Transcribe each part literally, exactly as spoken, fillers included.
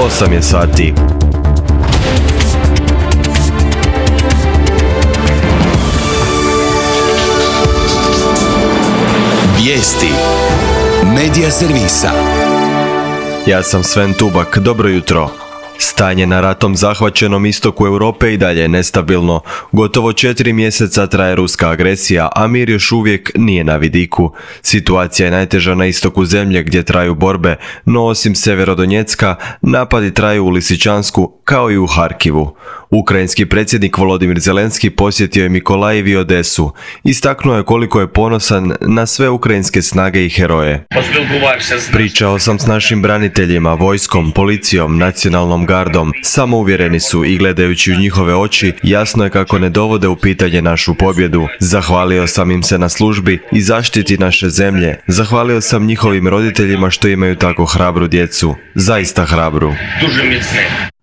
osam je sati. Vijesti Medija servisa. Ja sam Sven Tubak, dobro jutro. Stanje na ratom zahvaćenom istoku Europe i dalje je nestabilno. Gotovo četiri mjeseca traje ruska agresija, a mir još uvijek nije na vidiku. Situacija je najteža na istoku zemlje gdje traju borbe, no osim Severodonjecka, napadi traju u Lisičansku kao i u Harkivu. Ukrajinski predsjednik Volodimir Zelenski posjetio je Mikolajiv i Odesu. Istaknuo je koliko je ponosan na sve ukrajinske snage i heroje. Pričao sam s našim braniteljima, vojskom, policijom, nacionalnom gardom. Samouvjereni su i gledajući u njihove oči, jasno je kako ne dovode u pitanje našu pobjedu. Zahvalio sam im se na službi i zaštiti naše zemlje. Zahvalio sam njihovim roditeljima što imaju tako hrabru djecu. Zaista hrabru.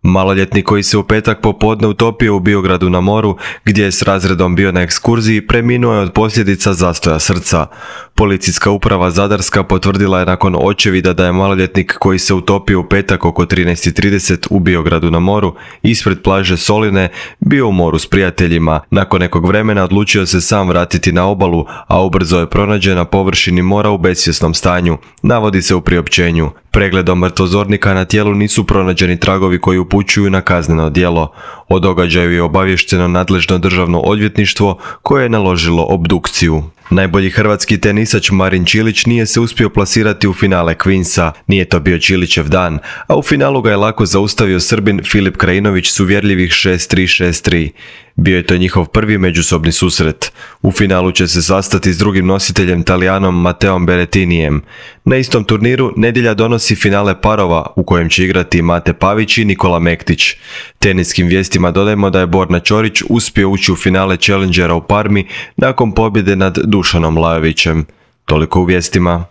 Maloljetnik koji se u petak popodne utopio u Biogradu na moru, gdje je s razredom bio na ekskurziji, preminuo je od posljedica zastoja srca. Policijska uprava Zadarska potvrdila je nakon očevida da je maloljetnik koji se utopio u petak oko trinaest i trideset u Biogradu na moru, ispred plaže Soline, bio u moru s prijateljima. Nakon nekog vremena odlučio se sam vratiti na obalu, a ubrzo je pronađen na površini mora u besvjesnom stanju, navodi se u priopćenju. Pregledom mrtvozornika na tijelu nisu pronađeni tragovi koji upućuju na kazneno djelo. O događaju je obavješteno nadležno državno odvjetništvo koje je naložilo obdukciju. Najbolji hrvatski tenisač Marin Čilić nije se uspio plasirati u finale Queensa. Nije to bio Čilićev dan, a u finalu ga je lako zaustavio Srbin Filip Krajinović s uvjerljivih šest tri šest tri. Bio je to njihov prvi međusobni susret. U finalu će se sastati s drugim nositeljem Talijanom Mateom Berrettinijem. Na istom turniru nedjelja donosi finale parova u kojem će igrati Mate Pavić i Nikola Mektić. Teniskim vijestima dodajemo da je Borna Ćorić uspio ući u finale Challengera u Parmi nakon pobjede nad Dušanom Lajovićem. Toliko u vijestima.